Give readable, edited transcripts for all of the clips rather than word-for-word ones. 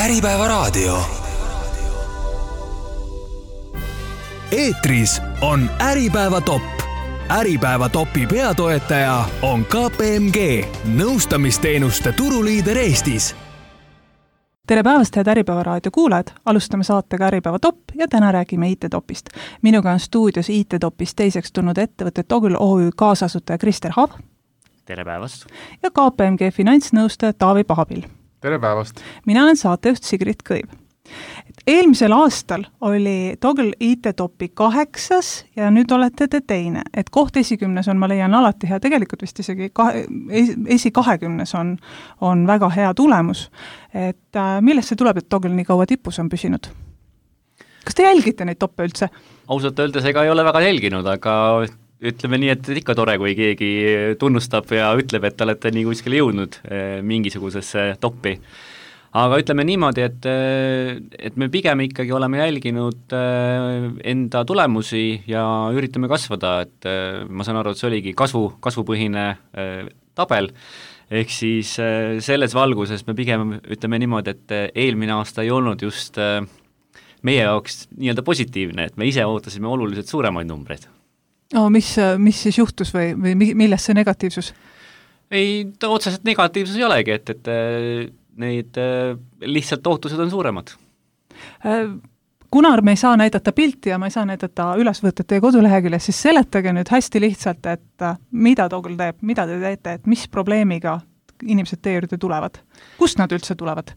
Äripäevaraadio. Eetris on Äripäeva top. Äripäeva topi peatoetaja on KPMG, nõustamisteenuste turuliider Eestis. Tere päevast, head Äripäevaraadio kuulajad! Alustame saatega Äripäeva top ja täna räägime IT-topist. Minuga on stuudios IT-topist teiseks tulnud ettevõtte Togl OÜ kaasasutaja Krister Hav. Tere päevast! Ja KPMG finantsnõustaja Taavi Pahabil. Tere päevast! Mina olen saatejuht Sigrid Kõiv. Eelmisel aastal oli Togl IT-topi 8. ja nüüd olete te teine. Et koht esikümnes on, ma leian alati hea, tegelikult vist isegi esi 20 on väga hea tulemus. Et millest see tuleb, et Togl nii kaua tipus on püsinud? Kas te jälgite neid toppe üldse? Ausalt öeldes ega ei ole väga jälginud, aga ütleme nii, et ikka tore, kui keegi tunnustab ja ütleb, et te olete nii kuskile jõudnud mingisugusesse toppi. Aga ütleme niimoodi, et me pigem ikkagi oleme jälginud enda tulemusi ja üritame kasvada, et ma saan aru, et see oligi kasvupõhine tabel, ehk siis selles valguses me pigem ütleme niimoodi, et eelmine aasta ei olnud just meie jaoks nii-öelda positiivne, et me ise ootasime oluliselt suuremaid numbreid. Mis siis juhtus või millest see negatiivsus? Ei, otseselt negatiivsus ei olegi, et neid lihtsalt ootused on suuremad. Kuna me ei saa näidata pilti ja ma ei saa näidata ülesvõtet teie koduleheküljes, siis seletage nüüd hästi lihtsalt, et mida Togl teeb, mida te teete, et mis probleemiga inimesed teie juurde tulevad? Kust nad üldse tulevad?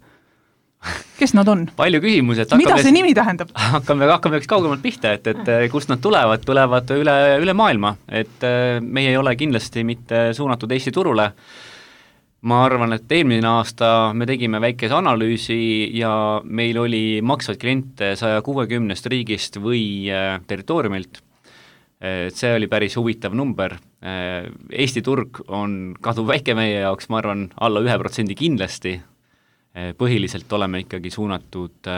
Kes nad on? Palju küsimusi. Mida see nimi tähendab? Hakkame üks kaugemalt pihta, et kust nad tulevad üle maailma. Et meie ei ole kindlasti mitte suunatud Eesti turule. Ma arvan, et eelmine aasta me tegime väikese analüüsi ja meil oli maksvaid kliente 160 riigist või territooriumilt. See oli päris huvitav number. Eesti turg on kaduvväike meie jaoks, ma arvan, alla 1% kindlasti. Põhiliselt oleme ikkagi suunatud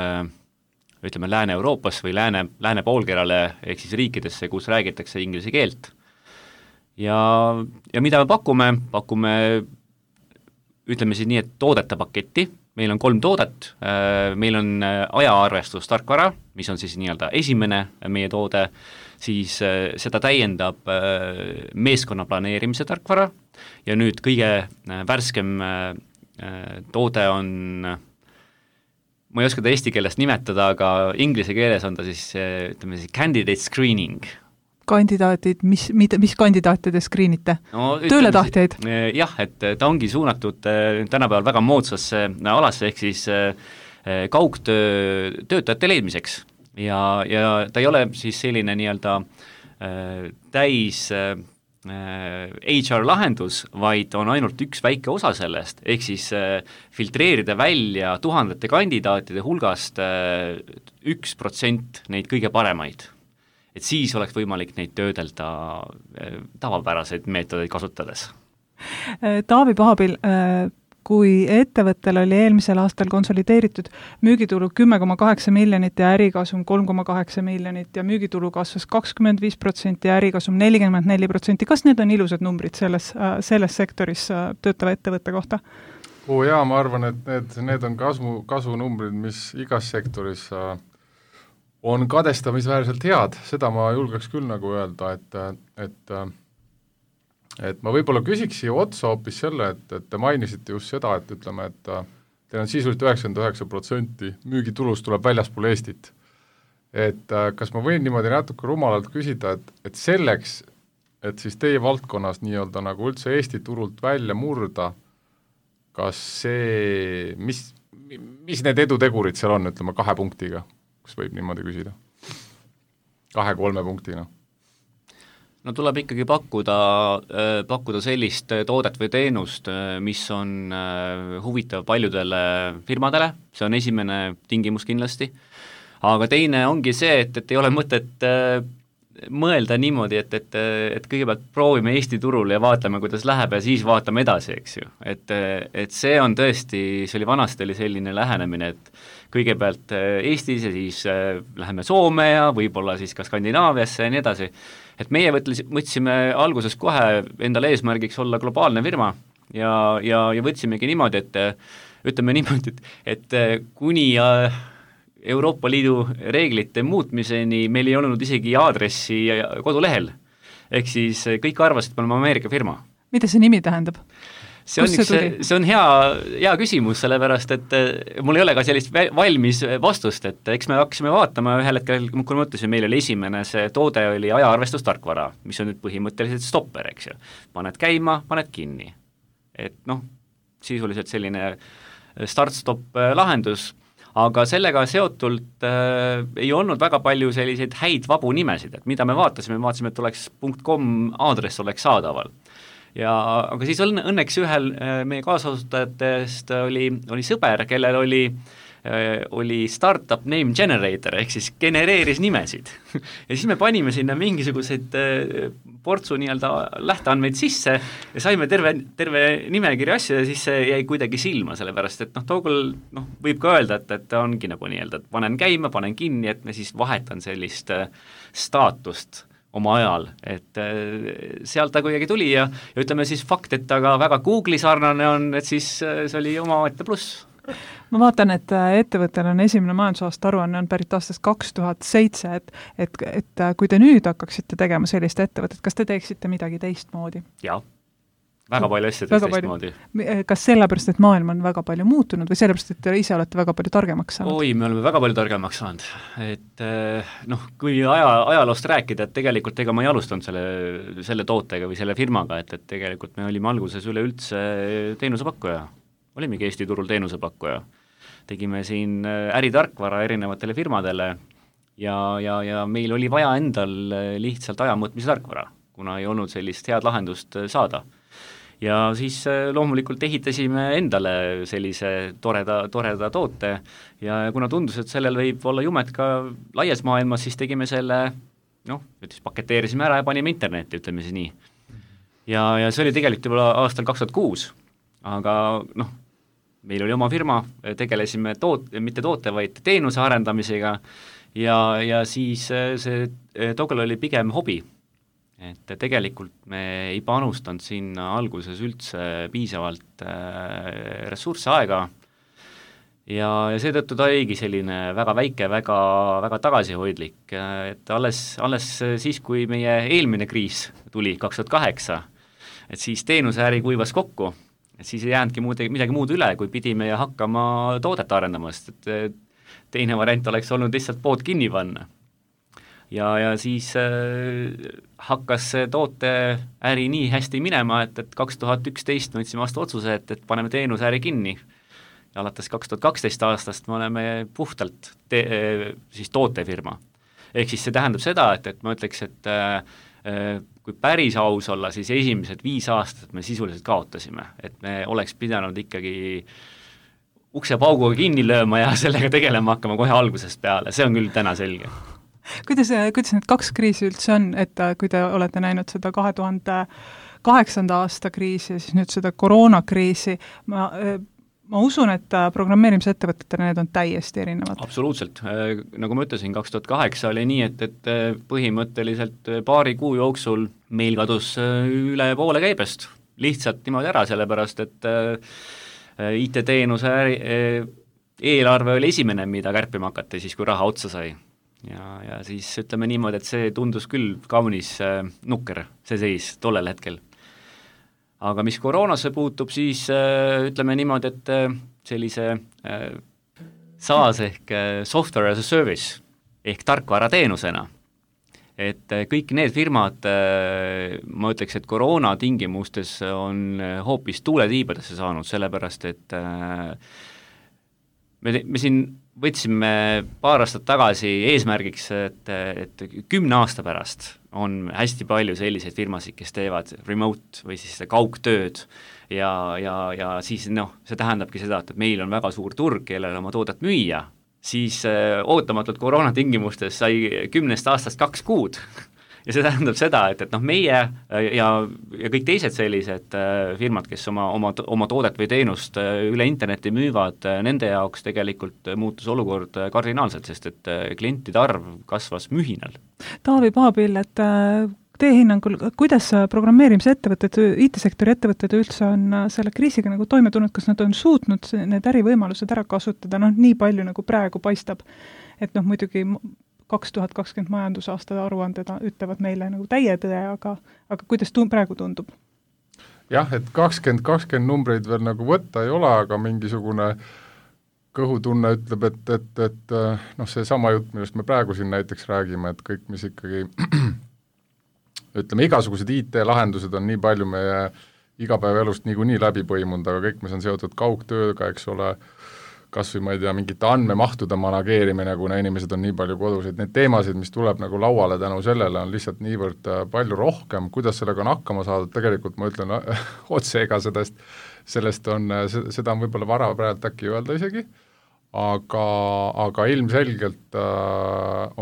ütleme Lääne-Euroopas või lääne poolkerale ehk siis riikidesse, kus räägitakse inglise keelt. Ja mida me pakume ütleme siis nii, et toodete paketti, meil on 3 toodet, meil on ajaarvestus tarkvara, mis on siis nii-öelda esimene meie toode, siis seda täiendab meeskonna planeerimise tarkvara ja nüüd kõige värskem toode on, ma ei oska ta eesti keelest nimetada, aga inglise keeles on ta siis, ütleme siis candidate screening. Kandidaatid, mis kandidaate te screenite? No, tööletahtijaid? Jah, et ta ongi suunatud tänapäeval väga moodsasse alasse, ehk siis kaugtöötajate leidmiseks. Ja ta ei ole siis selline nii-öelda täis HR lahendus, vaid on ainult üks väike osa sellest, ehk siis filtreerida välja tuhandete kandidaatide hulgast 1% neid kõige paremaid. Et siis oleks võimalik neid töödelda tavapäraseid meetodeid kasutades. Taavi Pahabil, kui ettevõttel oli eelmisel aastal konsolideeritud müügitulu 10,8 miljonit ja ärikasum 3,8 miljonit ja müügitulu kasvas 25% ja ärikasum 44%, kas need on ilusad numbrid selles sektoris töötava ettevõtte kohta? Jaa, ma arvan, et need on kasvunumbrid, mis igas sektoris on kadestamisväärselt head, seda ma julgeks küll nagu öelda, et ma võib-olla küsiks siia otsa hoopis selle, et te mainisite just seda, et ütleme, et teil on sisuliselt 99% müügitulust tuleb väljaspool Eestit. Et kas ma võin niimoodi natuke rumalalt küsida, et selleks, et siis teie valdkonnas nii-öelda nagu üldse Eesti turult välja murda, kas see, mis need edutegurid seal on, ütleme 2 punktiga? Kus võib niimoodi küsida? 2-3 punktina. No tuleb ikkagi pakkuda sellist toodet või teenust, mis on huvitav paljudele firmadele, see on esimene tingimus kindlasti, aga teine ongi see, et ei ole mõtet mõelda niimoodi, et kõigepealt proovime Eesti turul ja vaatame, kuidas läheb ja siis vaatame edasi, eks ju. Et see on tõesti, see oli vanasti selline lähenemine, et kõigepealt Eestis ja siis läheme Soome ja võib-olla siis ka Skandinaaviasse ja nii edasi. Et meie võtsime alguses kohe endale eesmärgiks olla globaalne firma ja võtsimegi niimoodi, et ütleme niimoodi, et kuni Euroopa Liidu reeglite muutmiseni meil ei olnud isegi aadressi kodulehel. Ehk siis kõik arvasid, et me oleme Ameerika firma. Mida see nimi tähendab? See on hea küsimus, sellepärast, et mul ei ole ka sellist valmis vastust, et eks me hakkasime vaatama ühel hetkel, kui ma ütlesin, meil oli esimene see toode oli ajaarvestustarkvara, mis on nüüd põhimõtteliselt stopper, eks ju. Paned käima, paned kinni. Et sisuliselt selline start-stop lahendus, aga sellega seotult ei olnud väga palju selliseid häid vabu nimesid, et mida me vaatasime, et oleks .com aadress oleks saadaval. Aga siis õnneks ühel meie kaasasutajatest oli sõber, kellel oli startup name generator, ehk siis genereeris nimesid. Ja siis me panime sinna mingisuguseid portsu lähteandmeid sisse ja saime terve nimekiri asju ja siis see jäi kuidagi silma, sellepärast, et tookul võib ka öelda, et ongi nagu et panen käima, panen kinni, et me siis vahetan sellist staatust oma ajal, et sealt ta kuidagi tuli ja ütleme siis fakt, et ta ka väga Google'i sarnane on, et siis see oli omaette pluss. Ma vaatan, et ettevõttel on esimene majandusaasta aruanne on pärit aastast 2007, et kui te nüüd hakkaksite tegema sellist ettevõtet, kas te teeksite midagi teistmoodi? Jaa, väga palju asju teistmoodi. Kas sellepärast, et maailm on väga palju muutunud või sellepärast, et te ise olete väga palju targemaks saanud? Me oleme väga palju targemaks saanud, et kui ajaloost rääkida, et tegelikult ega ma ei alustanud selle tootega või selle firmaga, et tegelikult me olime alguses üleüldse teenusepakkuja. Olimegi Eesti turul teenusepakkuja. Tegime siin äritarkvara erinevatele firmadele ja meil oli vaja endal lihtsalt ajamõõtmise tarkvara, kuna ei olnud sellist head lahendust saada. Ja siis loomulikult ehitasime endale sellise toreda toote ja kuna tundus, et sellel võib olla jumet ka laias maailmas, siis tegime selle, paketeerisime ära ja panime internetti, ütleme siis nii. Ja see oli tegelikult juba aastal 2006, aga meil oli oma firma, tegelesime mitte toote, vaid teenuse arendamisega ja siis see tookil oli pigem hobi. Et tegelikult me ei panustanud sinna alguses üldse piisavalt ressursse aega ja seetõttu ta oligi selline väga väike, väga tagasihoidlik, et alles siis, kui meie eelmine kriis tuli 2008, et siis teenuseäri kuivas kokku, et siis ei jäänudki midagi muud üle, kui pidime hakkama toodet arendamast, et teine variant oleks olnud lihtsalt pood kinni panna. Ja siis hakkas see tooteäri nii hästi minema, et 2011 võtsime vastu otsuse, et paneme teenuseäri kinni. Ja alates 2012 aastast me oleme puhtalt siis tootefirma. Ehk siis see tähendab seda, et ma ütleks, et kui päris aus olla, siis esimesed 5 aastat me sisuliselt kaotasime, et me oleks pidanud ikkagi uksepauguga kinni lööma ja sellega tegelema hakkama kohe algusest peale, see on küll täna selge. Kuidas need 2 kriisi üldse on, et kui te olete näinud seda 2008. aasta kriisi ja siis nüüd seda koroonakriisi, ma usun, et programmeerimisettevõtetele need on täiesti erinevad. Absoluutselt. Nagu ma ütlesin, 2008 oli nii, et põhimõtteliselt paari kuu jooksul meil kadus üle poole käibest. Lihtsalt niimoodi ära, sellepärast, et IT-teenuse eelarve oli esimene, mida kärpima hakati siis, kui raha otsa sai. Ja siis ütleme niimoodi, et see tundus küll kaunis nukker, see seis tollel hetkel. Aga mis koroonasse puutub, siis ütleme niimoodi, et sellise SaaS ehk software as a service ehk tarkvara teenusena, et kõik need firmad, ma ütleks, et koroona tingimustes on hoopis tuuletiibadesse saanud, sellepärast, et me siin võtsime paar aastat tagasi eesmärgiks, et 10 aasta pärast on hästi palju selliseid firmasid, kes teevad remote või siis kaugtööd ja siis see tähendabki seda, et meil on väga suur turg, kellele oma toodet müüa, siis ootamatult koroona tingimustes sai 10 aastast 2 kuud. Ja see tähendab seda, et meie ja kõik teised sellised firmad, kes oma toodet või teenust üle interneti müüvad, nende jaoks tegelikult muutus olukord kardinaalselt, sest et klientide arv kasvas mühinal. Taavi Paabil, et teie hinnangul, kuidas programmeerimise ettevõtted, IT-sektori ettevõtted üldse on selle kriisiga nagu toime tulnud, kas nad on suutnud need ärivõimalused ära kasutada, nii palju nagu praegu paistab, et muidugi 2020 majandusaasta aruanded ütlevad meile nagu täie tõe, aga kuidas praegu tundub? Jah, et 2020 numbreid veel nagu võtta ei ole, aga mingisugune kõhutunne ütleb, et see sama jutt, millest me praegu siin näiteks räägime, et kõik, mis ikkagi ütleme, igasugused IT-lahendused on nii palju meie igapäevaelust niikuinii läbi põimunud, aga kõik, mis on seotud kaugtööga, eks ole, kas või ma ei tea, mingite andmemahtude manageerimine, kuna inimesed on nii palju kodus, et need teemasid, mis tuleb nagu lauale tänu sellele, on lihtsalt niivõrd palju rohkem, kuidas sellega on hakkama saadud, tegelikult ma ütlen otse, ega seda on võib-olla vara praegu äkki öelda isegi, aga ilmselgelt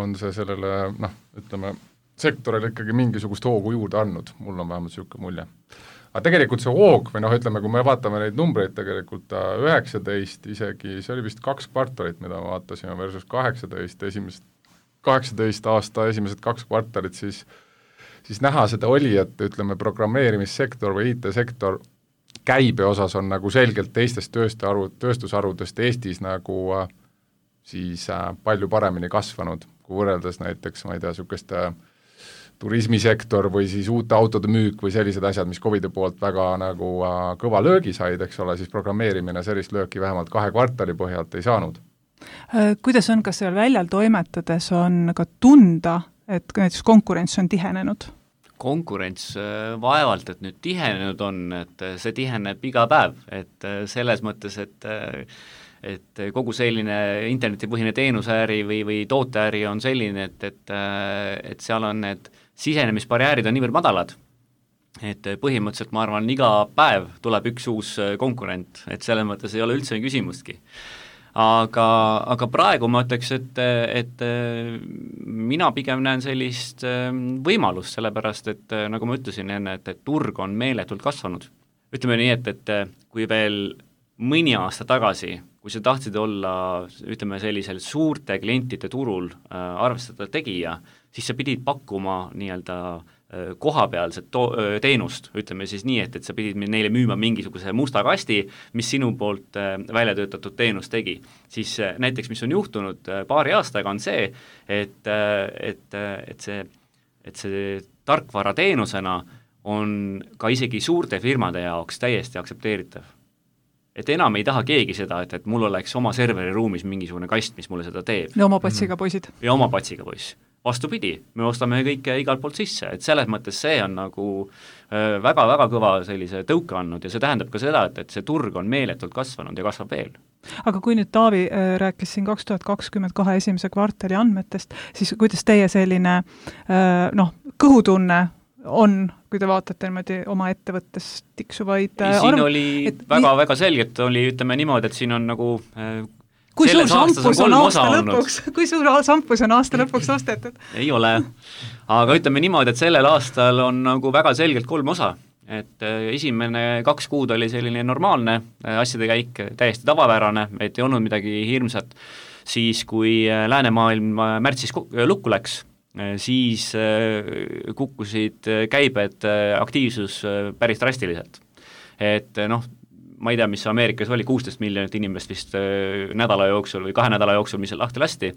on see sellele, ütleme, sektorile ikkagi mingisugust hoogu juurde andnud, mul on vähemalt niisugune mulje. Aga tegelikult see hoog, või ütleme, kui me vaatame neid numbreid tegelikult 19 isegi, see oli vist 2 kvartalit, mida me vaatasime, versus 18 aasta esimesed 2 kvartalit, siis näha seda oli, et ütleme, programmeerimissektor või IT-sektor käibe osas on nagu selgelt teistest tööstusharudest Eestis nagu siis palju paremini kasvanud, kui võrreldes näiteks, ma ei tea, niisugust turismisektor või siis uute autode müük või sellised asjad, mis COVID-i poolt väga nagu kõva löögi said, eks ole, siis programmeerimine sellist lööki vähemalt 2 kvartali põhjalt ei saanud. Kuidas on, kas seal väljal toimetades on ka tunda, et näiteks konkurents on tihenenud? Konkurents vaevalt, et nüüd tihenenud on, et see tiheneb iga päev, et selles mõttes, et kogu selline internetipõhine teenuseäri või tooteäri on selline, et seal on need sisenemisbarjäärid on niivõrd madalad, et põhimõtteliselt ma arvan, iga päev tuleb üks uus konkurent, et selles mõttes ei ole üldse küsimustki. Aga praegu ma ütleks, et mina pigem näen sellist võimalust, sellepärast et nagu ma ütlesin enne, et turg on meeletult kasvanud. Ütleme nii, et kui veel mõni aasta tagasi, kui sa tahtsid olla, ütleme, sellisel suurte klientide turul arvestada tegija, siis sa pidid pakkuma nii-öelda kohapealset teenust, ütleme siis nii, et sa pidid neile müüma mingisuguse musta kasti, mis sinu poolt välja töötatud teenus tegi. Siis näiteks, mis on juhtunud paari aastaga, on see, et see tarkvara teenusena on ka isegi suurte firmade jaoks täiesti aktsepteeritav. Et enam ei taha keegi seda, et mul oleks oma serveri ruumis mingisugune kast, mis mulle seda teeb. Ja oma patsiga poisid. Ja oma patsiga poiss. Vastupidi, me ostame kõike igalt poolt sisse, et selles mõttes see on nagu väga-väga kõva sellise tõuke andnud ja see tähendab ka seda, et see turg on meeletult kasvanud ja kasvab veel. Aga kui nüüd Taavi rääkis siin 2022 esimese kvartali andmetest, siis kuidas teie selline kõhutunne on, kui te vaatate niimoodi oma ettevõttes tiksuvaid siin oli väga-väga selgelt, oli ütleme niimoodi, et siin on nagu kui suur sampus on aasta lõpuks? Kui suur sampus on aasta lõpuks ostetud? Ei ole, aga ütleme niimoodi, et sellel aastal on nagu väga selgelt 3 osa, et esimene 2 kuud oli selline normaalne asjade käik, täiesti tavapärane, et ei olnud midagi hirmsat, siis kui läänemaailm märtsis lukku läks, siis kukkusid käibed, aktiivsus päris drastiliselt, et ma ei tea, mis Ameerikas oli, 16 miljonit inimest vist nädala jooksul või 2 nädala jooksul, mis lahti lasti,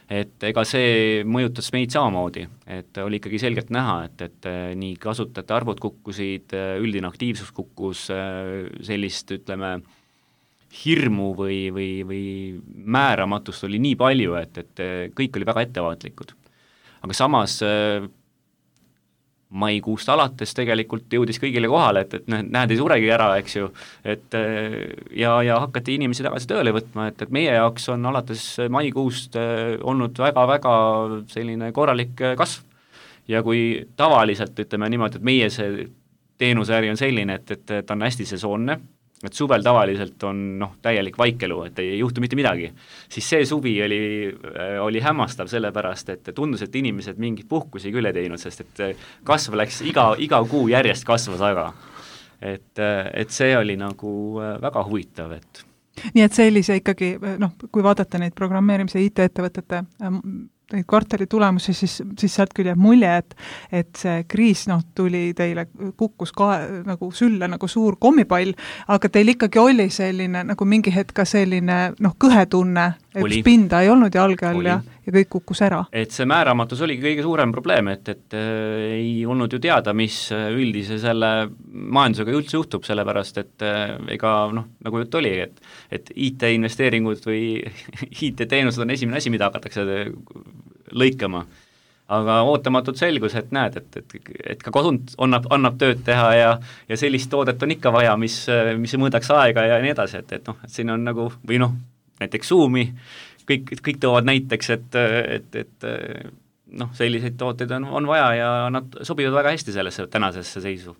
et ega see mõjutas meid samamoodi, et oli ikkagi selgelt näha, et nii kasutajate arvud kukkusid, üldine aktiivsus kukkus, sellist, ütleme, hirmu või määramatust oli nii palju, et kõik oli väga ettevaatlikud. Aga samas maikuust alates tegelikult jõudis kõigile kohale, et näed, ei suregi ära, eks ju, et ja hakati inimesi tagasi tööle võtma, et meie jaoks on alates maikuust olnud väga-väga selline korralik kasv. Ja kui tavaliselt, ütleme niimoodi, et meie see teenuseäri on selline, et ta on hästi sesoonne, et suvel tavaliselt on täielik vaikelu, et ei juhtu mitte midagi, siis see suvi oli hämmastav sellepärast, et tundus, et inimesed mingit puhkusi küll ei teinud, sest et kasv läks iga kuu järjest kasvas aga. Et see oli nagu väga huvitav, et nii et sellise ikkagi, kui vaadata neid programmeerimise IT-ettevõtete neid kvartali tulemusi, siis sealt küll jääb mulje, et see kriis tuli teile, kukkus nagu sülle nagu suur kommipall, aga teil ikkagi oli selline nagu mingi hetk ka selline kõhetunne, et pinda ei olnud jalge all ja kõik kukkus ära. Et see määramatus oligi kõige suurem probleem, et ei olnud ju teada, mis üldise selle majandusega üldse juhtub, sellepärast et ega nagu jutt oli, et IT-investeeringud või IT-teenused on esimene asi, mida hakatakse lõikama. Aga ootamatult selgus, et näed, et ka kodund annab tööd teha ja sellist toodet on ikka vaja, mis mõõdaks aega ja nii edasi, et siin on nagu, või näiteks Zoomi, kõik toovad näiteks, et selliseid tooteid on vaja ja nad sobivad väga hästi sellesse tänasesse seisu.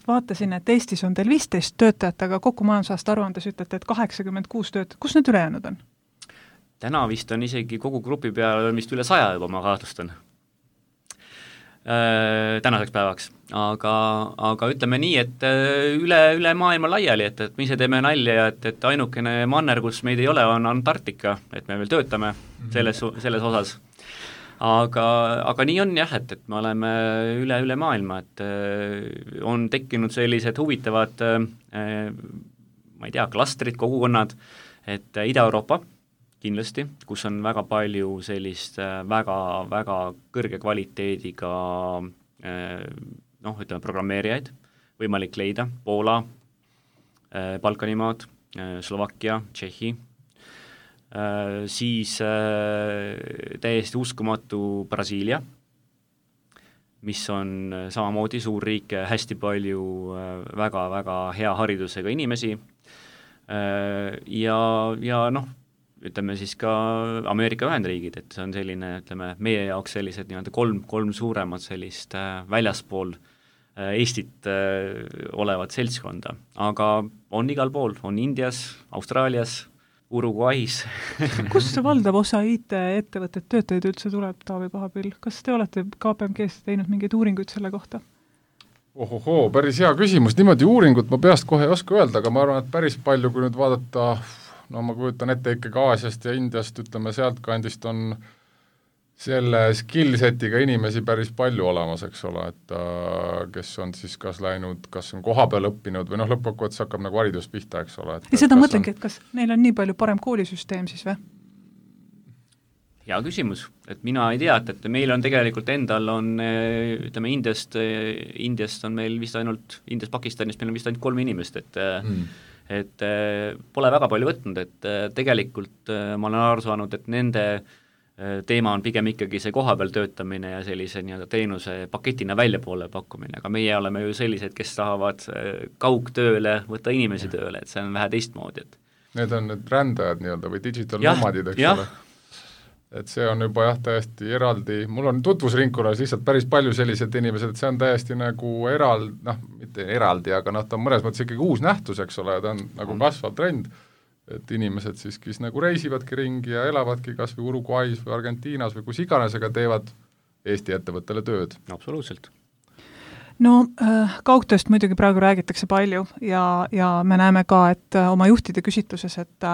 Vaatasin, et Eestis on teil 15 töötajat, aga kokku majandusaasta aruandes ütlete, et 86 töötajat. Kus need ülejäänud on? Täna vist on isegi kogu grupi peal vist üle 100 juba, ma kahtlustan. Tänaseks päevaks. Aga ütleme nii, et üle maailma laiali, et me ise teeme nalja, et ainukene manner, kus meid ei ole, on Antarktika, et me veel töötame selles osas. Aga nii on jah, et me oleme üle maailma, et on tekkinud sellised huvitavad, ma ei tea, klastrid, kogukonnad, et Ida-Euroopa kindlasti, kus on väga palju sellist väga kõrge kvaliteediga ütleme programmeerijaid võimalik leida, Poola, Balkanimaad, Slovakkia, Tšehhi, siis täiesti uskumatu Brasiilia, mis on samamoodi suur riik, hästi palju väga hea haridusega inimesi ja ütleme siis ka Ameerika Ühendriigid, et see on selline, ütleme, meie jaoks sellised nii-öelda kolm suuremat sellist väljaspool Eestit olevat seltskonda, aga on igal pool, on Indias, Austraalias, Uruguay's. Kus see valdav osa IT-ettevõtted töötajaid üldse tuleb, Taavi Pahapill? Kas te olete KPMG's teinud mingeid uuringuid selle kohta? Ohohoo, päris hea küsimus, niimoodi uuringut ma peast kohe ei oska öelda, aga ma arvan, et päris palju, kui nüüd vaadata ma kujutan ette ikkagi Aasiast ja Indiast, ütleme sealt kandist on selle skillsetiga inimesi päris palju olemas, eks ole, et kes on siis kas läinud, kas on koha peal õppinud või lõppkokkuvõttes hakkab nagu haridus pihta, eks ole. Ja seda mõtlengi, et kas neil on nii palju parem koolisüsteem siis või? Hea küsimus, et mina ei tea, et meil on tegelikult endal on, ütleme Indiast on meil vist ainult, Indiast Pakistanist meil on vist ainult 3 inimest, et pole väga palju võtnud, et tegelikult ma olen aru saanud, et nende teema on pigem ikkagi see kohapeal töötamine ja sellise nii-öelda teenuse paketina väljapoole pakkumine, aga meie oleme ju sellised, kes tahavad kaugtööle võtta inimesi tööle, et see on vähe teistmoodi. Need on need rändajad nii-öelda või digital nomadid, eks ole. Et see on juba täiesti eraldi, mul on tutvusringkonnas lihtsalt päris palju sellised inimesed, et see on täiesti nagu mitte eraldi, aga ta on mõnes mõttes ikkagi uus nähtus, eks ole, ta on nagu kasvav trend, et inimesed siis, kes nagu reisivadki ringi ja elavadki kas või Uruguay's või Argentiinas või kus iganes, aga teevad Eesti ettevõttele tööd. Absoluutselt. Kaugtööst muidugi praegu räägitakse palju ja me näeme ka, et oma juhtide küsitluses, et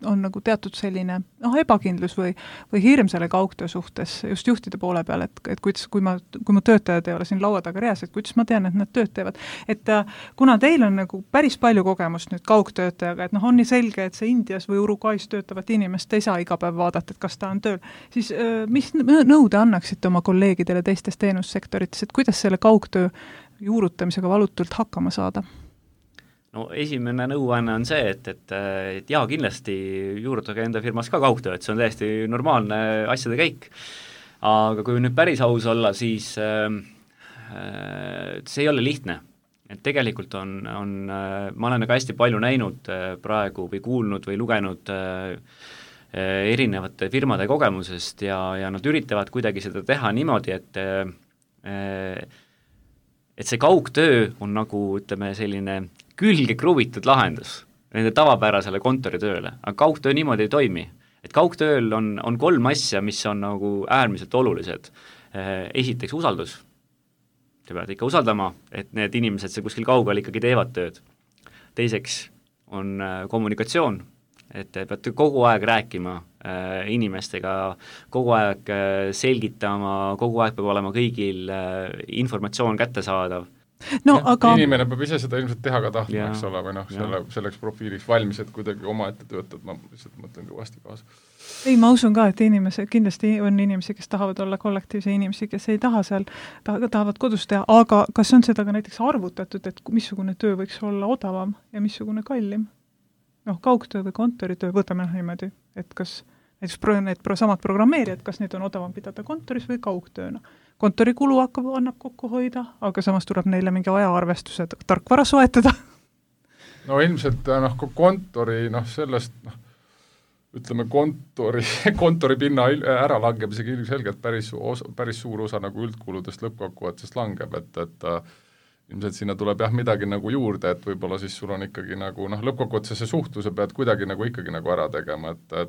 on nagu teatud selline ebakindlus või hirm selle kaugtöö suhtes just juhtide poole peal, et kuidas, kui mu töötajad ei ole siin laua taga reas, et kuidas ma tean, et nad tööd teevad. Et kuna teil on nagu päris palju kogemust nüüd kaugtöötajaga, et on nii selge, et see Indias või Uruguay's töötavat inimest ei saa iga päev vaadata, et kas ta on tööl, siis mis nõude annaksite oma kolleegidele teistes teenussektorites, et kuidas selle kaugtöö juurutamisega valutult hakkama saada? Esimene nõuanne on see, et jaa, kindlasti juurutage enda firmas ka kaugtöö, et see on täiesti normaalne asjade käik. Aga kui nüüd päris aus olla, siis see ei ole lihtne. Et tegelikult ma olen ka hästi palju näinud praegu või kuulnud või lugenud erinevate firmade kogemusest ja nad üritavad kuidagi seda teha niimoodi, et see kaugtöö on nagu, ütleme, selline külge kruvitud lahendus nende tavapärasele kontoritööle, aga kaugtöö niimoodi ei toimi. Et kaugtööl on 3 asja, mis on nagu äärmiselt olulised. Esiteks usaldus. Te peate ikka usaldama, et need inimesed see kuskil kaugel ikkagi teevad tööd. Teiseks on kommunikatsioon, et te peate kogu aeg rääkima inimestega, kogu aeg selgitama, kogu aeg peab olema kõigil informatsioon kättesaadav. No, aga... Inimene peab ise seda ilmselt teha ka tahtma, eks ole, või selleks profiiliks valmis, et kuidagi oma ette töötad, ma lihtsalt mõtlen kõvasti kaasa. Ei, ma usun ka, et kindlasti on inimesi, kes tahavad olla kollektiivse inimesi, kes ei taha seal, tahavad kodus teha, aga kas on seda ka näiteks arvutatud, et missugune töö võiks olla odavam ja missugune kallim? Kaugtöö või kontoritöö, võtame niimoodi, et kas näiteks samad programmeerijad, kas neid on odavam pidada kontoris või kaugtööna. Kontorikulu annab kokku hoida, aga samas tuleb neile mingi ajaarvestuse tarkvara soetada. No ilmselt kontori, sellest, ütleme kontori pinna ära langeb isegi ilmselgelt päris suur osa nagu üldkuludest lõppkokkuvõttest langeb, et ilmselt sinna tuleb midagi nagu juurde, et võib-olla siis sul on ikkagi nagu lõppkokkuvõttes see suhtluse pead kuidagi nagu ikkagi nagu ära tegema, et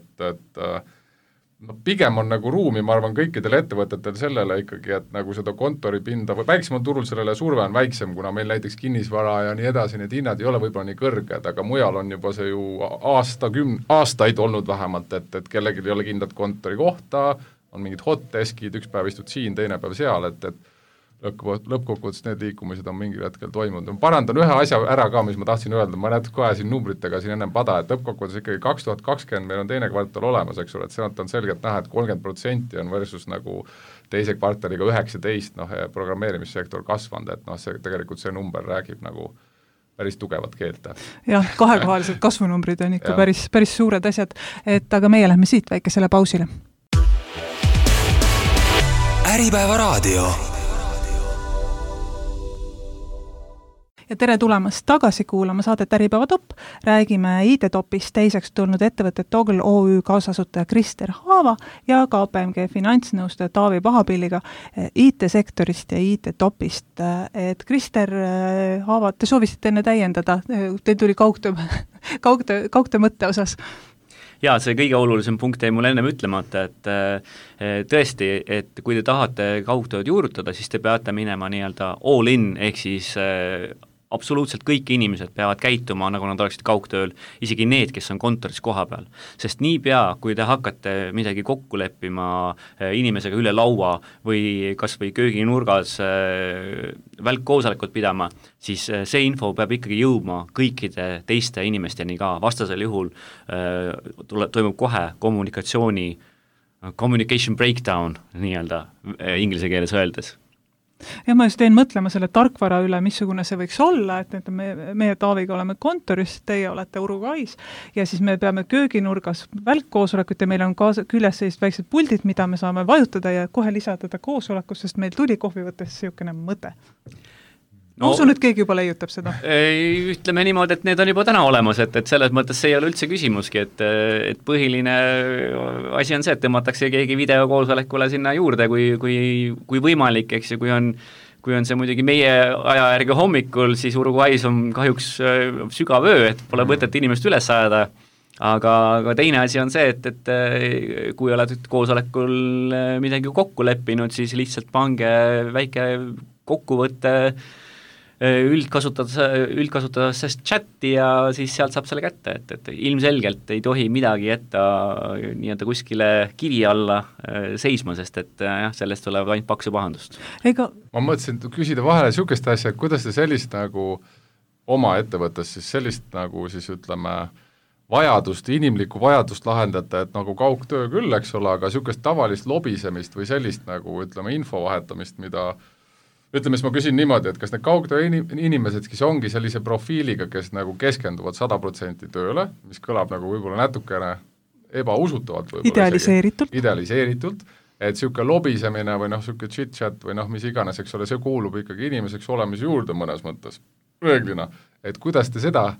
pigem on nagu ruumi, ma arvan, kõikidel ettevõtetel sellele ikkagi, et nagu seda kontoripinda või väiksemal turul sellele surve on väiksem, kuna meil näiteks kinnisvara ja nii edasi, need hinnad ei ole võib-olla nii kõrged, aga mujal on juba see ju aastaid olnud vähemalt, et kellelgi ei ole kindlat kontori kohta, on mingid hot deskid, üks päev istud siin, teine päev seal, et lõppkokkuvõttes need liikumised on mingil hetkel toimunud. Ma parandan ühe asja ära ka, mis ma tahtsin öelda, ma näed kohe siin numbritega siin ennem pada, et lõppkokkuvõttes ikkagi 2020 meil on teine kvartal olemas, eks ole, et sealt on selgelt näha, et 30% on versus nagu teise kvartaliga 19, programmeerimissektor kasvanud, et see tegelikult see number räägib nagu päris tugevat keelt. Jah, kahekohalised kasvunumbrid on ikka päris suured asjad, aga meie lähme siit väikesele pausile. Äripäeva raadio. Ja tere tulemast tagasi kuulama saadet Äripäeva Top. Räägime IT-topist teiseks tulnud ettevõtte Togl OÜ kaasasutaja Krister Haava ja KPMG finantsnõustaja Taavi Pahapilliga IT-sektorist ja IT-topist. Et Krister Haava, te soovisite enne täiendada, teil tuli kaugtöö mõtte osas. Jaa, see kõige olulisem punkt jäi mul ennem ütlemata, et tõesti, et kui te tahate kaugtööd juurutada, siis te peate minema nii-öelda all in, ehk siis absoluutselt kõik inimesed peavad käituma, nagu nad oleksid kaugtööl, isegi need, kes on kontoris koha peal. Sest niipea, kui te hakkate midagi kokku leppima inimesega üle laua või kas või kööginurgas välkkoosolekut pidama, siis see info peab ikkagi jõudma kõikide teiste inimesteni ka. Vastasel juhul toimub kohe communication breakdown nii-öelda inglise keeles öeldes. Ja ma just teen mõtlema selle tarkvara üle, missugune see võiks olla, et meie Taaviga oleme kontoris, teie olete Urugais ja siis me peame kööginurgas välkkoosolekut ja meil on küljes sellist väiksed puldid, mida me saame vajutada ja kohe lisada koosolekus, sest meil tuli kohvi võttes siukene mõte. No, usun, et keegi juba leiutab seda. Ütleme niimoodi, et need on juba täna olemas, et selles mõttes see ei ole üldse küsimuski, et põhiline asi on see, et tõmmatakse keegi videokoosolekule sinna juurde, kui võimalik, eks ju, kui on see muidugi meie aja järgi hommikul, siis Uruguay's on kahjuks sügav öö, et pole mõtet inimest üles ajada, aga teine asi on see, et kui oled koosolekul midagi kokku leppinud, siis lihtsalt pange väike kokkuvõtte üldkasutades chati ja siis sealt saab selle kätte, et ilmselgelt ei tohi midagi jätta nii-öelda kuskile kivi alla seisma, sest et sellest tuleb ainult paksu pahandust. Ma mõtlesin küsida vahele niisugust asja, et kuidas te sellist nagu oma ettevõttes siis sellist nagu siis ütleme inimlikku vajadust lahendate, et nagu kaugtöö küll, eks ole, aga niisugust tavalist lobisemist või sellist nagu ütleme info vahetamist, mida ütleme, siis ma küsin niimoodi, et kas need kaugtöö inimesed, kes ongi sellise profiiliga, kes nagu keskenduvad 100% tööle, mis kõlab nagu võib-olla natukene ebausutavalt idealiseeritult, et niisugune lobisemine või niisugune chit-chat või mis iganes, eks ole, see kuulub ikkagi inimeseks olemise juurde mõnes mõttes reeglina, et kuidas te seda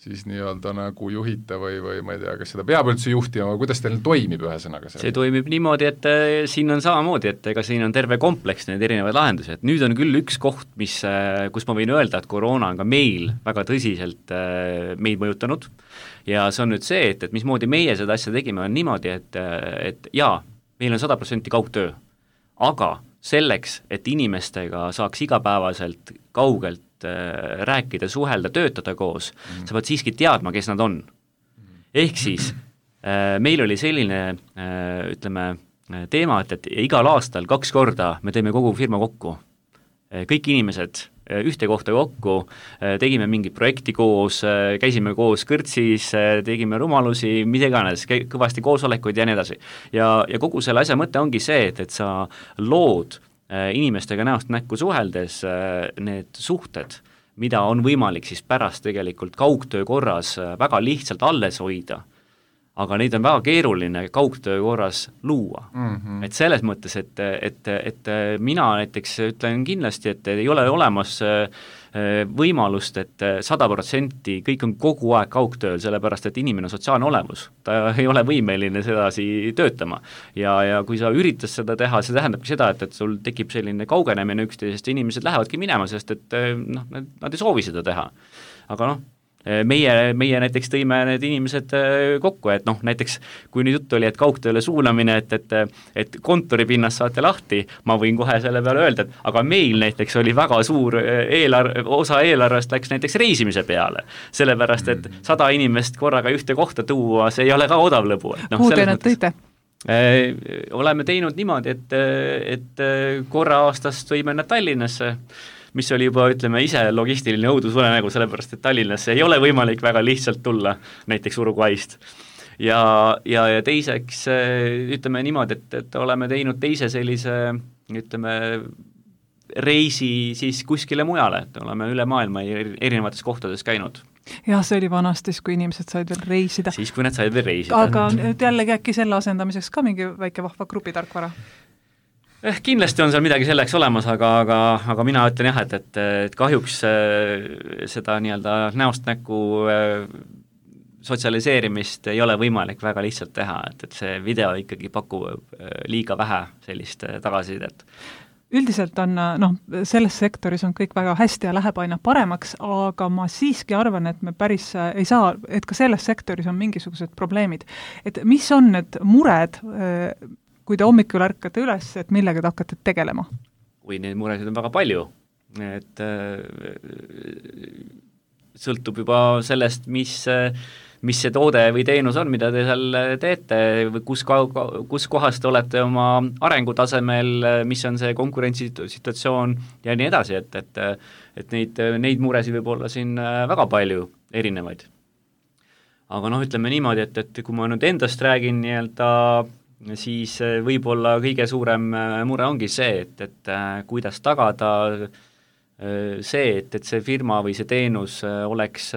siis nii-öelda nagu juhite või ma ei tea, kas seda peab üldse juhtima või kuidas teil toimib ühesõnaga see? See toimib niimoodi, et siin on samamoodi, et ega siin on terve kompleks neid erinevaid lahendusi, et nüüd on küll üks koht, kus ma võin öelda, et koroona on ka meil väga tõsiselt meid mõjutanud ja see on nüüd see, et mismoodi meie seda asja tegime, on niimoodi, et jaa, meil on 100% kaugtöö, aga selleks, et inimestega saaks igapäevaselt kaugelt rääkida, suhelda, töötada koos, sa pead siiski teadma, kes nad on. Ehk siis meil oli selline, ütleme, teema, et igal aastal 2 korda me teeme kogu firma kokku. Kõik inimesed ühte kohta kokku, tegime mingit projekti koos, käisime koos kõrtsis, tegime rumalusi, mida iganes, kõvasti koosolekuid ja nii edasi. Ja kogu selle asja mõte ongi see, et sa lood inimestega näost näkku suheldes need suhted, mida on võimalik siis pärast tegelikult kaugtöö korras väga lihtsalt alles hoida, aga neid on väga keeruline kaugtöö korras luua. Et selles mõttes, et mina näiteks ütlen kindlasti, et ei ole olemas võimalust, et 100% kõik on kogu aeg kaugtööl, sellepärast et inimene on sotsiaalne olevus. Ta ei ole võimeline sedasi töötama. Ja kui sa üritas seda teha, see tähendabki seda, et sul tekib selline kaugenemine üksteisest, inimesed lähevadki minema, sest et nad ei soovi seda teha. Aga meie näiteks tõime need inimesed kokku, et näiteks kui nüüd jutt oli, et kaugtööle suunamine, et kontoripinnas saate lahti, ma võin kohe selle peale öelda, et aga meil näiteks oli väga suur osa eelarvest läks näiteks reisimise peale, sellepärast, et 100 inimest korraga ühte kohta tuua, see ei ole ka odav lõbu. Kuhu te nad tõite? Oleme teinud niimoodi, et korra aastast võime nad Tallinnasse, mis oli juba, ütleme, ise logistiline õudusunenägu, sellepärast, et Tallinnasse ei ole võimalik väga lihtsalt tulla, näiteks Uruguayst. Ja teiseks, ütleme niimoodi, et oleme teinud teise sellise, ütleme, reisi siis kuskile mujale, et oleme üle maailma erinevates kohtades käinud. Jah, see oli vanastis, kui inimesed said veel reisida. Siis, kui nad said veel reisida. Aga nüüd jällegi äkki selle asendamiseks ka mingi väike vahva grupitarkvara? Kindlasti on seal midagi selleks olemas, aga mina ütlen jah, et kahjuks seda nii-öelda näost näkku sotsialiseerimist ei ole võimalik väga lihtsalt teha, et see video ikkagi pakub liiga vähe sellist tagasisidet. Üldiselt on, selles sektoris on kõik väga hästi ja läheb aina paremaks, aga ma siiski arvan, et me päris ei saa, et ka selles sektoris on mingisugused probleemid. Et mis on need mured, kui te hommikul ärkate üles, et millega te hakkate tegelema? Kui neid muresid on väga palju, et sõltub juba sellest, mis see toode või teenus on, mida te seal teete, või kus kohas te olete oma arengutasemel, mis on see konkurentsisituatsioon ja nii edasi, et neid muresid võib olla siin väga palju erinevaid. Aga ütleme niimoodi, et kui ma nüüd endast räägin nii-öelda, siis võib-olla kõige suurem mure ongi see, et kuidas tagada see, et see firma või see teenus oleks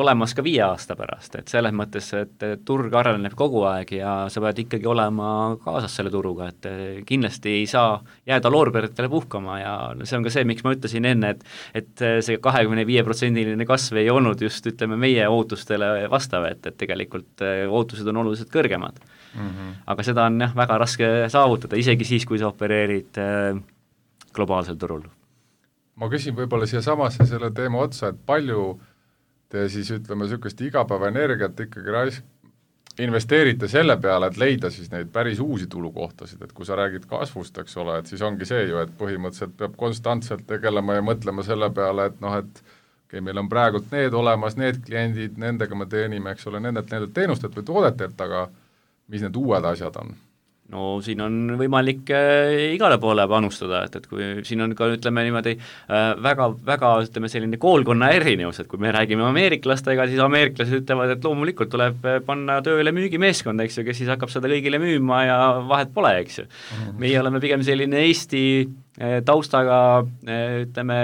olemas ka 5 aasta pärast, et selles mõttes, et turg areneb kogu aeg ja sa pead ikkagi olema kaasas selle turuga, et kindlasti ei saa jääda loorberitele puhkama ja see on ka see, miks ma ütlesin enne, et see 25% kasv ei olnud just, ütleme, meie ootustele vastav, et tegelikult ootused on oluliselt kõrgemad. Aga seda on väga raske saavutada, isegi siis, kui sa opereerid globaalsel turul. Ma küsin võib-olla siia samasse selle teema otsa, et palju te siis ütleme niisugust igapäeva energiat ikkagi investeerite selle peale, et leida siis neid päris uusi tulukohtasid, et kui sa räägid kasvust, eks ole, et siis ongi see ju, et põhimõtteliselt peab konstantselt tegelema ja mõtlema selle peale, et et meil on praegult need olemas, need kliendid, nendega me teenime, eks ole, nendelt teenustelt või toodetelt, aga mis need uued asjad on? No siin on võimalik igale poole panustada, et kui siin on ka, ütleme niimoodi, väga, ütleme, selline koolkonna erinevus, et kui me räägime ameeriklastega, siis ameeriklased ütlevad, et loomulikult tuleb panna tööle müügimeeskond, eks ju, kes siis hakkab seda kõigile müüma ja vahet pole, eks ju. Meie oleme pigem selline Eesti taustaga, ütleme,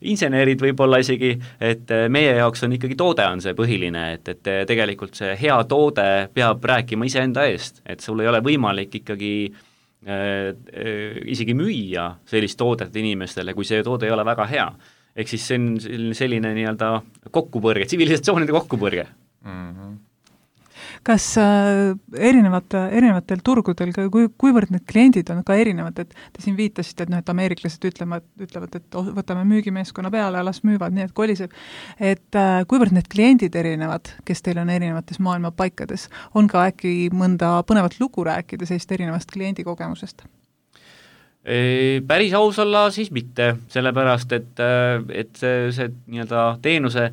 insenerid võib-olla isegi, et meie jaoks on ikkagi toode on see põhiline, et tegelikult see hea toode peab rääkima iseenda eest, et sul ei ole võimalik ikkagi isegi müüa sellist toodet inimestele, kui see toode ei ole väga hea. Ehk siis see on selline nii-öelda kokkupõrge, tsivilisatsioonide kokkupõrge. Kas erinevatel turgudel, kuivõrd need kliendid on ka erinevad, et te siin viitasite, et ameeriklased ütlevad, et võtame müügimeeskonna peale ja las müüvad nii, et koliseb, et kuivõrd need kliendid erinevad, kes teil on erinevates maailma paikades, on ka äkki mõnda põnevat lugu rääkida sellist erinevast kliendikogemusest? Päris aus olla siis mitte, sellepärast, et see nii-öelda teenuse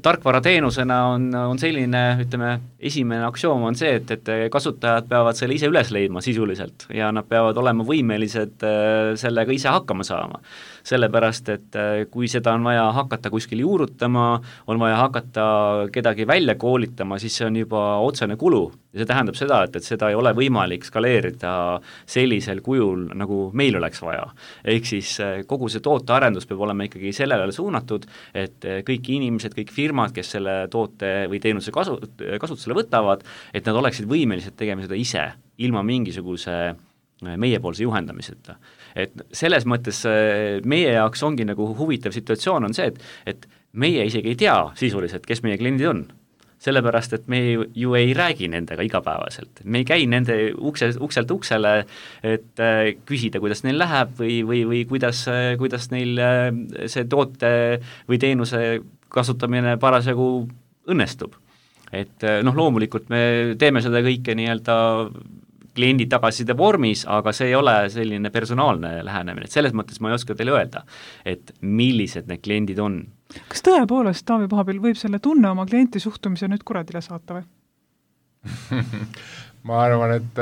tarkvarateenusena on selline, ütleme, esimene aktsioom on see, et kasutajad peavad selle ise üles leidma sisuliselt ja nad peavad olema võimelised sellega ise hakkama saama. Sellepärast, et kui seda on vaja hakata kuskil juurutama, on vaja hakata kedagi välja koolitama, siis see on juba otsene kulu. Ja see tähendab seda, et seda ei ole võimalik skaleerida sellisel kujul, nagu meil oleks vaja. Ehk siis kogu see tootearendus peab olema ikkagi sellele suunatud, et kõik inimesed, kõik firmad, kes selle toote või teenuse kasutusele võtavad, et nad oleksid võimelised tegema seda ise, ilma mingisuguse meiepoolse juhendamiseta. Et selles mõttes meie jaoks ongi nagu huvitav situatsioon on see, et meie isegi ei tea sisuliselt, kes meie kliendid on. Sellepärast, et me ju ei räägi nendega igapäevaselt. Me ei käi nende ukselt uksele, et küsida, kuidas neil läheb või kuidas neil see toote või teenuse kasutamine parasjagu õnnestub. Et loomulikult me teeme seda kõike nii-öelda kliendi tagasiside vormis, aga see ei ole selline personaalne lähenemine, et selles mõttes ma ei oska teile öelda, et millised need kliendid on. Kas tõepoolest Taavi Pahabil võib selle tunne oma klienti suhtumise nüüd kuradile saata või? Ma arvan, et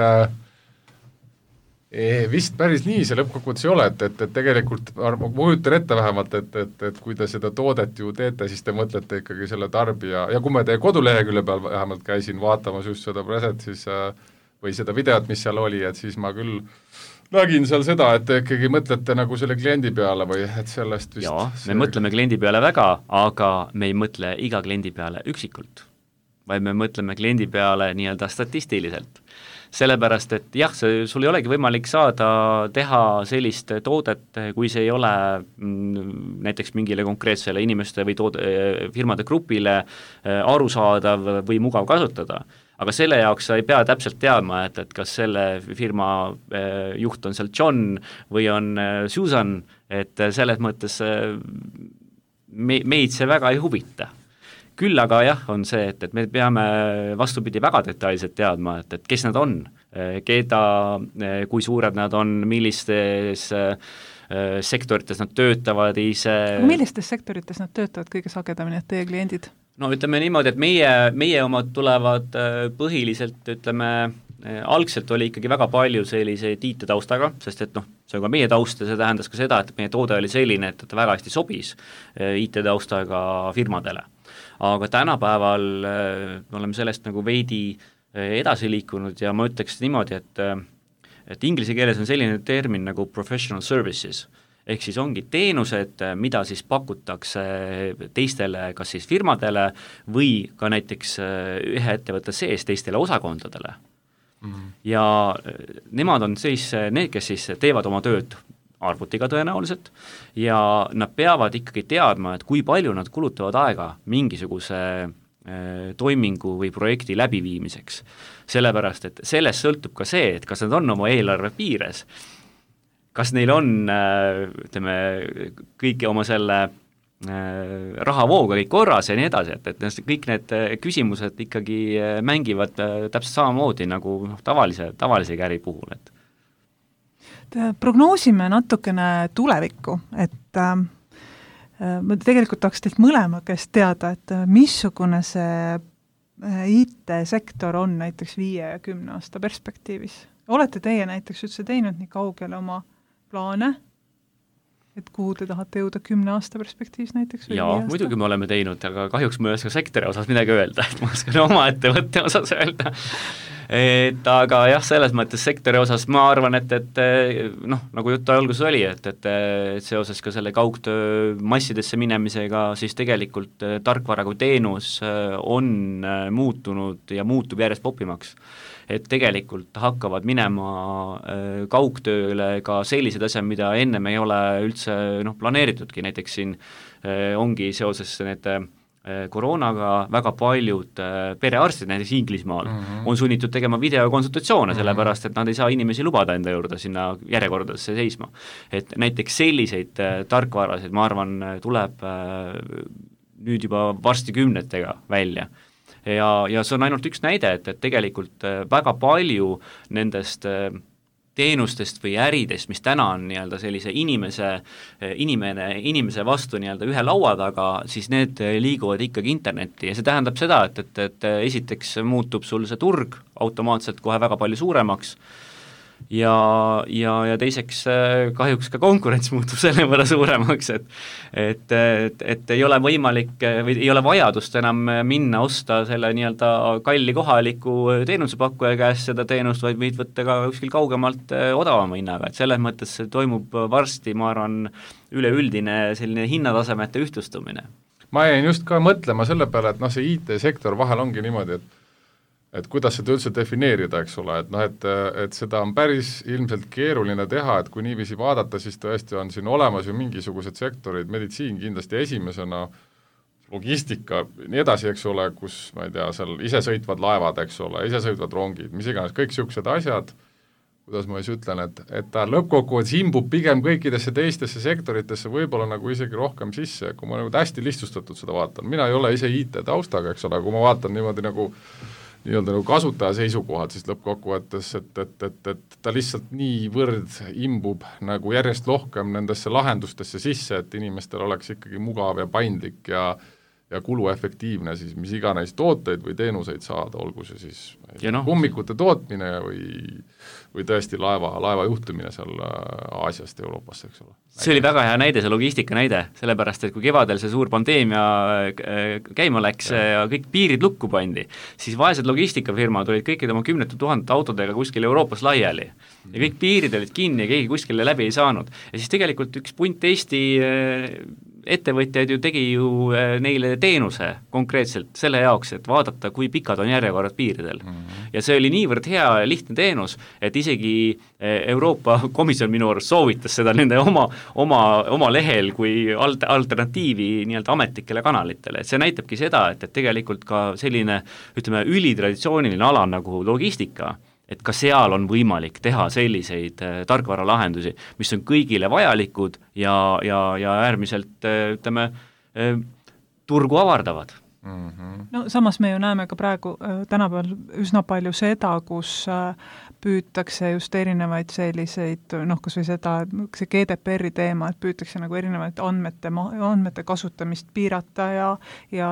vist päris nii see lõppkokkuvõttes ei ole, et tegelikult ma kujutan ette vähemalt, et kui te seda toodet ju teete, siis te mõtlete ikkagi selle tarbija, ja kui ma teie kodulehekülje peal vähemalt käisin vaatamas just seda preset, siis või seda videot, mis seal oli, et siis ma küll nägin seal seda, et te ikkagi mõtlete nagu selle kliendi peale või et sellest vist... Jaa, me mõtleme kliendi peale väga, aga me ei mõtle iga kliendi peale üksikult, vaid me mõtleme kliendi peale nii-öelda statistiliselt. Sellepärast, et jah, sul ei olegi võimalik teha sellist toodet, kui see ei ole näiteks mingile konkreetsele inimeste või firmade grupile arusaadav või mugav kasutada. Aga selle jaoks sa ei pea täpselt teadma, et kas selle firma juht on seal John või on Susan, et selles mõttes meid see väga ei huvita. Küll aga jah, on see, et me peame vastupidi väga detailselt teadma, et kes nad on, keda, kui suured nad on, millistes sektorites nad töötavad ise. Millistes sektorites nad töötavad kõige sagedamini, et teie kliendid? No ütleme niimoodi, et meie omad tulevad põhiliselt, ütleme, algselt oli ikkagi väga palju selliseid IT-taustaga, sest et see on ka meie taust ja see tähendas ka seda, et meie toode oli selline, et ta väga hästi sobis IT-taustaga firmadele. Aga tänapäeval me oleme sellest nagu veidi edasi liikunud ja ma ütleks niimoodi, et inglise keeles on selline termin nagu professional services, ehk siis ongi teenused, mida siis pakutakse teistele, kas siis firmadele või ka näiteks ühe ettevõtte sees teistele osakondadele. Ja nemad on siis need, kes siis teevad oma tööd arvutiga tõenäoliselt ja nad peavad ikkagi teadma, et kui palju nad kulutavad aega mingisuguse toimingu või projekti läbiviimiseks. Sellepärast, et sellest sõltub ka see, et kas nad on oma eelarve piires, kas neil on, ütleme, kõiki oma selle rahavooga kõik korras ja nii edasi, et kõik need küsimused ikkagi mängivad täpselt samamoodi nagu tavalise käri puhul. Prognoosime natukene tulevikku, et ma tegelikult tahaks teilt mõlema käest teada, et missugune see IT-sektor on näiteks 5 ja 10 aasta perspektiivis. Olete teie näiteks üldse teinud nii kaugele oma plaane, et kuhu te tahate jõuda 10 aasta perspektiivis näiteks? Jaa, muidugi me oleme teinud, aga kahjuks ma ei oska sektori osas midagi öelda, et ma oskan oma ettevõtte osas öelda. Aga jah, selles mõttes sektori osas ma arvan, et nagu jutt alguses oli, et seoses ka selle kaugtöö massidesse minemisega, siis tegelikult tarkvara kui teenus on muutunud ja muutub järjest popimaks. Et tegelikult hakkavad minema kaugtööle ka sellised asjad, mida ennem ei ole üldse planeeritudki, näiteks siin ongi seoses need koroonaga väga paljud perearstid näiteks Inglismaal on sunnitud tegema videokonsultatsioone, sellepärast et nad ei saa inimesi lubada enda juurde sinna järjekordadesse seisma. Et näiteks selliseid tarkvarasid, ma arvan, tuleb nüüd juba varsti 10 välja. Ja see on ainult üks näide, et tegelikult väga palju nendest teenustest või äridest, mis täna on nii-öelda sellise inimese vastu nii-öelda ühe laua taga, siis need liiguvad ikkagi internetti ja see tähendab seda, et esiteks muutub sul see turg automaatselt kohe väga palju suuremaks ja teiseks kahjuks ka konkurents muutub selle võrra suuremaks, et ei ole võimalik või ei ole vajadust enam minna osta selle nii-öelda kalli kohaliku teenusepakkuja käest seda teenust, vaid võid võtta ka kuskil kaugemalt odavama hinnaga, et selles mõttes toimub varsti, ma arvan, üleüldine selline hinnatasemete ühtlustumine. Ma jäin just ka mõtlema selle peale, et see IT-sektor vahel ongi niimoodi, et kuidas seda üldse defineerida, eks ole, et seda on päris ilmselt keeruline teha, et kui niiviisi vaadata, siis tõesti on siin olemas ju mingisugused sektorid, meditsiin kindlasti esimesena, logistika, nii edasi, eks ole, kus, ma ei tea, seal isesõitvad laevad, eks ole, isesõitvad rongid, mis iganes, kõik niisugused asjad, kuidas ma siis ütlen, et ta lõppkokkuvõttes imbub pigem kõikidesse teistesse sektoritesse võib-olla nagu isegi rohkem sisse, kui ma nagu hästi lihtsustatud seda vaatan, mina ei ole ise IT-taustaga, eks ole, kui ma vaatan niimoodi nagu nii-öelda nagu kasutaja seisukohalt, siis lõppkokkuvõttes, et ta lihtsalt niivõrd imbub nagu järjest rohkem nendesse lahendustesse sisse, et inimestel oleks ikkagi mugav ja paindlik ja kuluefektiivne siis mis iganes tooteid või teenuseid saada, olgu see siis kummikute tootmine või tõesti laeva juhtimine seal Aasiast Euroopasse, eks ole. See oli väga hea näide, see logistika näide, sellepärast, et kui kevadel see suur pandeemia käima läks ja kõik piirid lukku pandi, siis vaesed logistikafirmad olid kõikide oma 10 000 autodega kuskil Euroopas laiali ja kõik piirid olid kinni ja keegi kuskile läbi ei saanud. Ja siis tegelikult üks punt Eesti ettevõtjaid tegi neile teenuse konkreetselt selle jaoks, et vaadata, kui pikad on järjekorrad piiridel. Ja see oli niivõrd hea ja lihtne teenus, et isegi Euroopa Komisjon minu arust soovitas seda nende oma lehel kui alternatiivi nii-öelda ametlikele kanalitele. Et see näitabki seda, et tegelikult ka selline, ütleme, ülitraditsiooniline ala nagu logistika, et ka seal on võimalik teha selliseid tarkvaralahendusi, mis on kõigile vajalikud ja äärmiselt, ütleme, turgu avardavad. No samas me ju näeme ka praegu tänapäeval üsna palju seda, kus püütakse just erinevaid selliseid, kas või seda, see GDPR-i teema, et püütakse nagu erinevaid andmete kasutamist piirata ja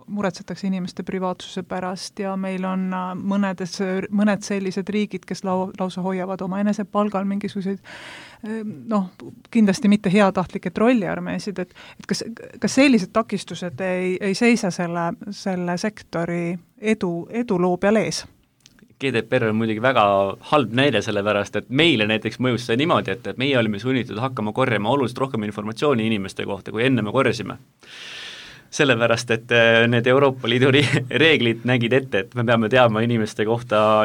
muretsetakse inimeste privaatsuse pärast ja meil on mõned sellised riigid, kes lausa hoiavad oma enesepalgal mingisuguseid kindlasti mitte heatahtlikke trolliarmeesid, et kas sellised takistused ei seisa selle sektori eduloo peal ees? GDPR on muidugi väga halb näide selle pärast, et meile näiteks mõjus see niimoodi, et meie olime sunnitud hakkama korjama oluliselt rohkem informatsiooni inimeste kohta, kui enne me korjasime. Sellepärast, et need Euroopa Liidu reeglid nägid ette, et me peame teadma inimeste kohta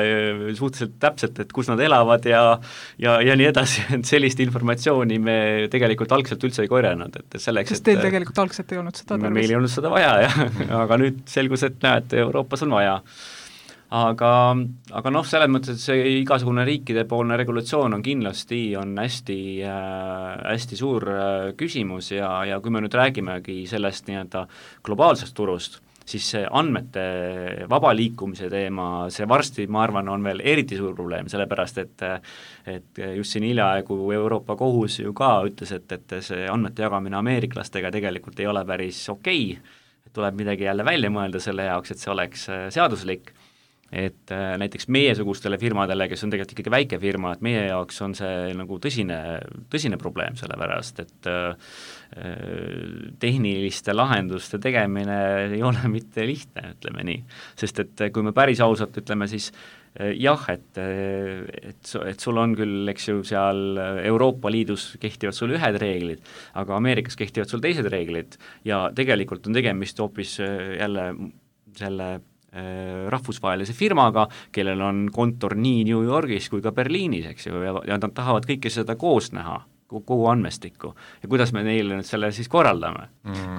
suhteliselt täpselt, et kus nad elavad ja nii edasi, et sellist informatsiooni me tegelikult algselt üldse ei korjanud. Sest teil tegelikult algselt ei olnud seda tarvis? Meil ei olnud seda vaja, aga nüüd selgus, et näed, Euroopas on vaja. Aga selles mõttes, et see igasugune riikidepoolne regulatsioon on kindlasti hästi suur küsimus ja kui me nüüd räägimegi sellest nii-öelda globaalsest turust, siis see andmete vaba liikumise teema, see varsti, ma arvan, on veel eriti suur probleem, sellepärast et just siin hiljaaegu Euroopa kohus ju ka ütles, et see andmete jagamine ameeriklastega tegelikult ei ole päris okei, et tuleb midagi jälle välja mõelda selle jaoks, et see oleks seaduslik. Et näiteks meiesugustele firmadele, kes on tegelikult ikkagi väike firma, et meie jaoks on see nagu tõsine probleem, sellepärast, et tehniliste lahenduste tegemine ei ole mitte lihtne, ütleme nii. Sest et kui me päris ausalt ütleme, siis jah, et sul on küll, eks ju, seal Euroopa Liidus kehtivad sul ühed reeglid, aga Ameerikas kehtivad sul teised reeglid ja tegelikult on tegemist hoopis jälle selle rahvusvahelise firmaga, kellel on kontor nii New Yorgis kui ka Berliinis, eks ju, ja nad tahavad kõike seda koos näha, kogu andmestikku. Ja kuidas me neile nüüd selle siis korraldame?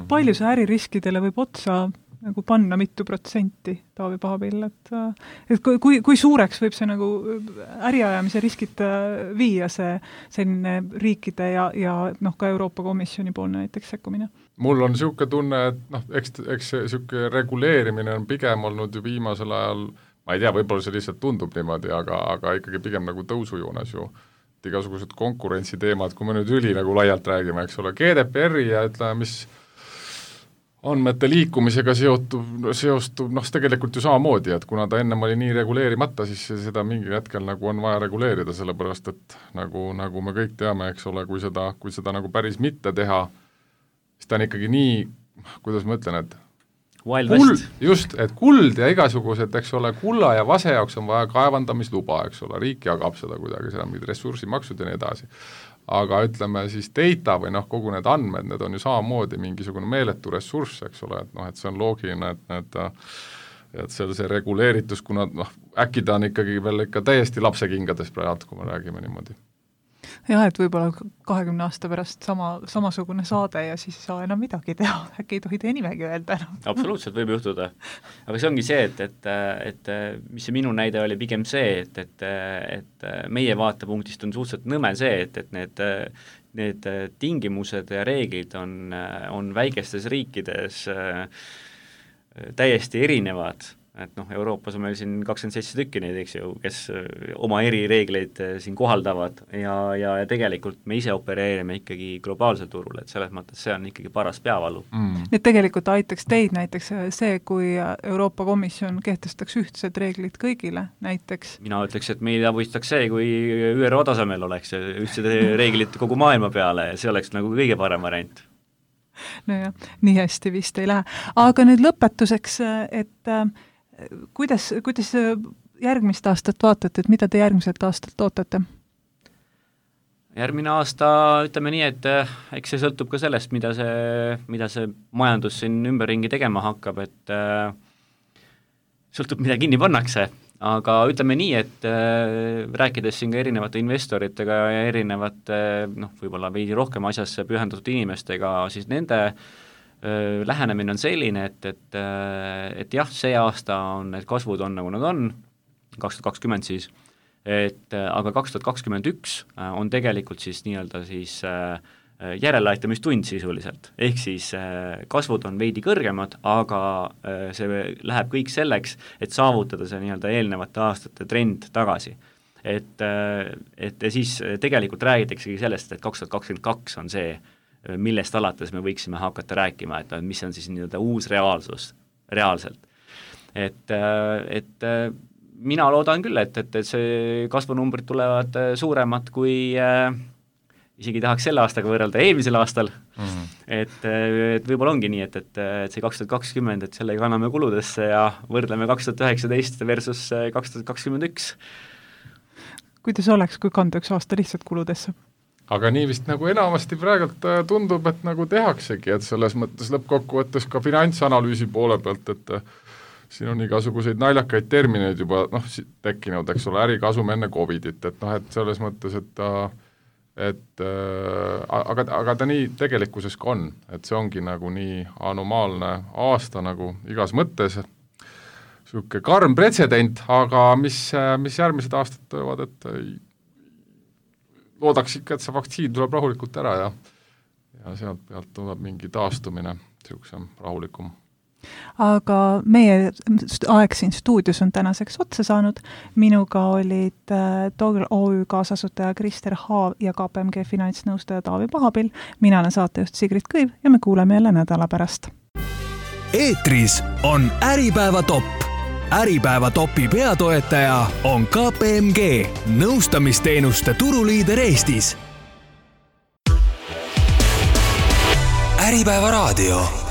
Palju see äririskidele võib otsa nagu panna mitu protsenti, Taavi Pahapill, et kui suureks võib see nagu äriajamise riskid viia see selline riikide ja ka Euroopa Komisjoni poolne näiteks sekkumine? Mul on niisugune tunne, et eks niisugune reguleerimine on pigem olnud ju viimasel ajal ma ei tea, võib-olla see lihtsalt tundub niimoodi, aga ikkagi pigem nagu tõusujoones ju igasugused konkurentsiteemad, kui me nüüd nagu laialt räägime, eks ole, GDPR-i ja ütleme, mis andmete liikumisega seostub, tegelikult ju samamoodi, et kuna ta ennem oli nii reguleerimata, siis seda mingil hetkel nagu on vaja reguleerida, sellepärast et nagu me kõik teame, eks ole, kui seda nagu päris mitte teha, siis ta on ikkagi nii, kuidas ma ütlen, et just, et kuld ja igasugused, eks ole, kulla ja vase jaoks on vaja kaevandamisluba, eks ole, riik jagab seda kuidagi, seda mingid ressursimaksud ja nii edasi. Aga ütleme siis data või kogu need andmed, need on ju samamoodi mingisugune meeletu ressurss, eks ole, et see on loogiline, et see reguleeritus, kuna äkki ta on ikkagi veel ikka täiesti lapsekingades praegu, kui me räägime niimoodi. Jah, et võib-olla 20 aasta pärast samasugune saade ja siis ei saa enam midagi teha, äkki ei tohi teie nimegi öelda enam. Absoluutselt võib juhtuda. Aga see ongi see, et mis see minu näide oli pigem see, et meie vaatepunktist on suhteliselt nõme see, et need tingimused ja reeglid on väikestes riikides täiesti erinevad. Et Euroopas on meil siin 27 tükki neid, eks ju, kes oma erireegleid siin kohaldavad ja tegelikult me ise opereerime ikkagi globaalsel turul, et selles mõttes see on ikkagi paras peavalu. Nii et tegelikult aitaks teid näiteks see, kui Euroopa Komisjon kehtestaks ühtsed reeglid kõigile näiteks? Mina ütleks, et meid abistaks see, kui ÜRO tasemel oleks ühtsed reeglid kogu maailma peale ja see oleks nagu kõige parem variant. Nojah, nii hästi vist ei lähe. Aga nüüd lõpetuseks, et kuidas järgmist aastat vaatate, et mida te järgmiselt aastalt ootate? Järgmine aasta, ütleme nii, et eks see sõltub ka sellest, mida see majandus siin ümberringi tegema hakkab, et sõltub, mida kinni pannakse, aga ütleme nii, et rääkides siin ka erinevate investoritega ja erinevate, võib-olla veidi rohkem asjasse pühendatud inimestega, siis nende lähenemine on selline, et jah, see aasta on, need kasvud on nagu nad on, 2020 siis, aga 2021 on tegelikult siis nii-öelda siis järeleaitamistund sisuliselt, ehk siis kasvud on veidi kõrgemad, aga see läheb kõik selleks, et saavutada see nii-öelda eelnevate aastate trend tagasi. Et siis tegelikult räägitaksegi sellest, et 2022 on see, millest alates me võiksime hakata rääkima, et mis on siis nii-öelda uus reaalsus, reaalselt. Et mina loodan küll, et see kasvunumbrid tulevad suuremad kui isegi tahaks selle aastaga võrrelda eelmisel aastal, et võib-olla ongi nii, et see 2020, et sellega anname kuludesse ja võrdleme 2019 versus 2021. Kuidas oleks, kui kanda üks aasta lihtsalt kuludesse? Aga nii vist nagu enamasti praegult tundub, et nagu tehaksegi, et selles mõttes lõppkokkuvõttes ka finantsanalüüsi poole pealt, et siin on igasuguseid naljakaid termineid juba tekkinud, eks ole, ärikasum enne Covidit, et selles mõttes, aga ta nii tegelikkuses ka on, et see ongi nagu nii anomaalne aasta nagu igas mõttes, selline karm pretsedent, aga mis järgmised aastad töövad, et loodaks ikka, et see vaktsiin tuleb rahulikult ära ja sealt pealt tuleb mingi taastumine, selline rahulikum. Aga meie aeg siin stuudios on tänaseks otsa saanud. Minuga olid Togl OÜ kaasasutaja Krister Haav ja KPMG finantsnõustaja Taavi Pahapill. Mina olen saatejuht Sigrid Kõiv ja me kuuleme jälle nädala pärast. Eetris on Äripäeva top. Äripäeva topi peatoetaja on KPMG, nõustamisteenuste turuliider Eestis. Äripäeva raadio.